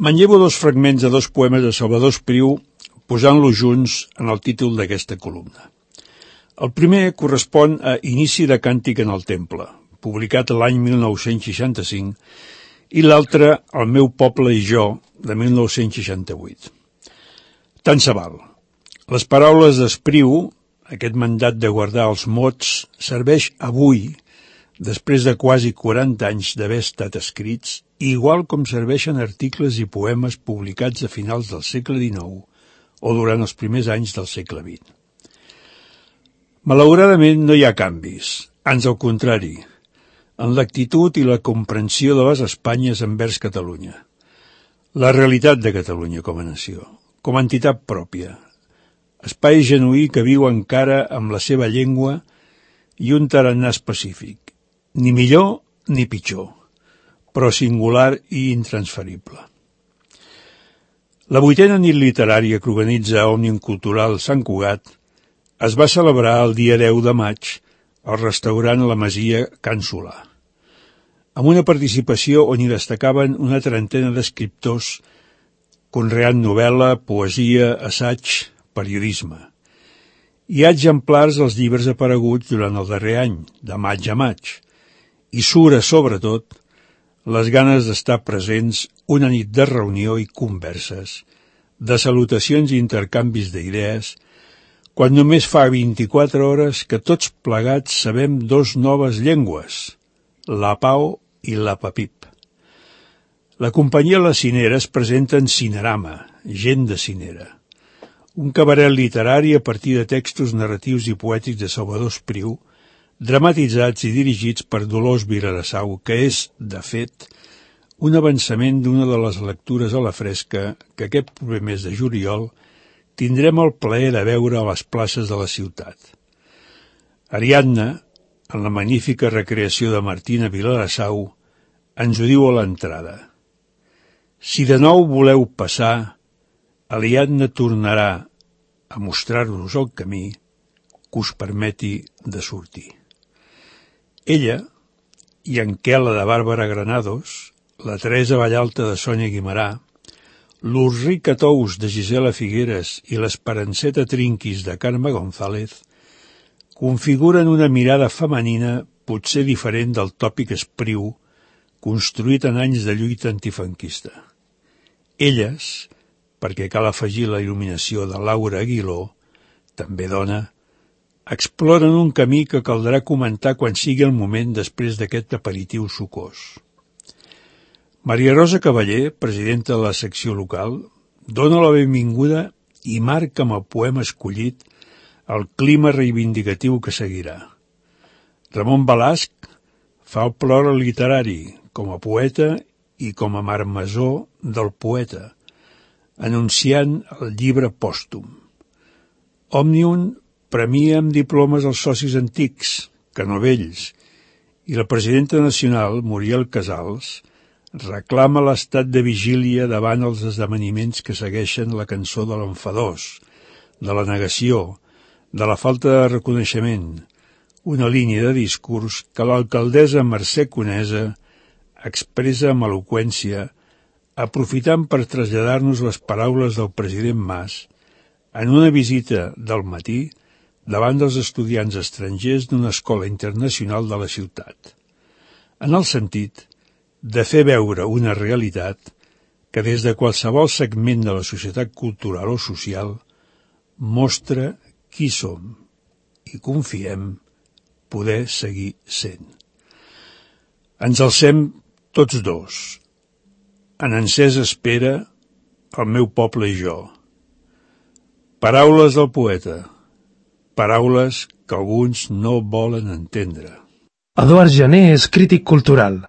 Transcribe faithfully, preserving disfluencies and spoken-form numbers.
Manllevo dos fragments de dos poemes de Salvador Espriu posant-los junts en el títol d'aquesta columna. El primer correspon a Inici de càntic en el temple, publicat l'any mil nou-cents seixanta-cinc, i l'altre El meu poble i jo, de mil nou-cents seixanta-vuit. Tant se val. Les paraules d'Espriu, aquest mandat de guardar els mots, serveix avui, després de quasi quaranta anys d'haver estat escrits, igual com serveixen articles i poemes publicats a finals del segle dinou o durant els primers anys del segle vint. Malauradament no hi ha canvis, ans al contrari, en l'actitud i la comprensió de les Espanyes envers Catalunya. La realitat de Catalunya com a nació, com a entitat pròpia, espai genuí que viu encara amb la seva llengua i un tarannà específic, ni millor ni pitjor, però singular i intransferible. La vuitena nit literària que organitza Òmnium Cultural Sant Cugat es va celebrar el dia deu de maig al restaurant La Masia Can Solà, amb una participació on hi destacaven una trentena d'escriptors conreant novel·la, poesia, assaig, periodisme. Hi ha exemplars dels llibres apareguts durant el darrer any, de maig a maig, i sura, sobretot, les ganes d'estar presents una nit de reunió i converses, de salutacions i intercanvis d'idees, quan només fa vint-i-quatre hores que tots plegats sabem dos noves llengües, la pao i la papip. La companyia La Cinera es presenta en Cinerama, gent de Cinera, un cabaret literari a partir de textos narratius i poètics de Salvador Espriu, dramatitzats i dirigits per Dolors Vilassau, que és, de fet, un avançament d'una de les lectures a la fresca que aquest proper mes de juliol tindrem el plaer de veure a les places de la ciutat. Ariadna, en la magnífica recreació de Martina Vilassau, ens ho diu a l'entrada. Si de nou voleu passar, Ariadna tornarà a mostrar-vos el camí que us permeti de sortir. Ella i en Quela de Bàrbara Granados, la Teresa Vallalta de Sònia Guimarà, l'Ulrica Tous de Gisela Figueres i l'Esperanceta Trinquis de Carme González configuren una mirada femenina potser diferent del tòpic Espriu construït en anys de lluita antifranquista. Elles, perquè cal afegir la il·luminació de Laura Aguiló, també dona, exploren un camí que caldrà comentar quan sigui el moment després d'aquest aperitiu sucós. Maria Rosa Cavaller, presidenta de la secció local, dona la benvinguda i marca amb el poema escollit el clima reivindicatiu que seguirà. Ramon Balasc fa el plor literari com a poeta i com a marmessor del poeta, anunciant el llibre pòstum. Òmnium premia amb diplomes els socis antics, que no vells, i la presidenta nacional, Muriel Casals, reclama l'estat de vigília davant els esdeveniments que segueixen la cançó de l'enfadós, de la negació, de la falta de reconeixement, una línia de discurs que l'alcaldessa Mercè Conesa expressa amb eloqüència, aprofitant per traslladar-nos les paraules del president Mas en una visita del matí davant dels estudiants estrangers d'una escola internacional de la ciutat, en el sentit de fer veure una realitat que des de qualsevol segment de la societat cultural o social mostra qui som i confiem poder seguir sent. Ens alcem tots dos, en encesa espera el meu poble i jo. Paraules del poeta, paraules que alguns no volen entendre. Eduard Jané és crític cultural.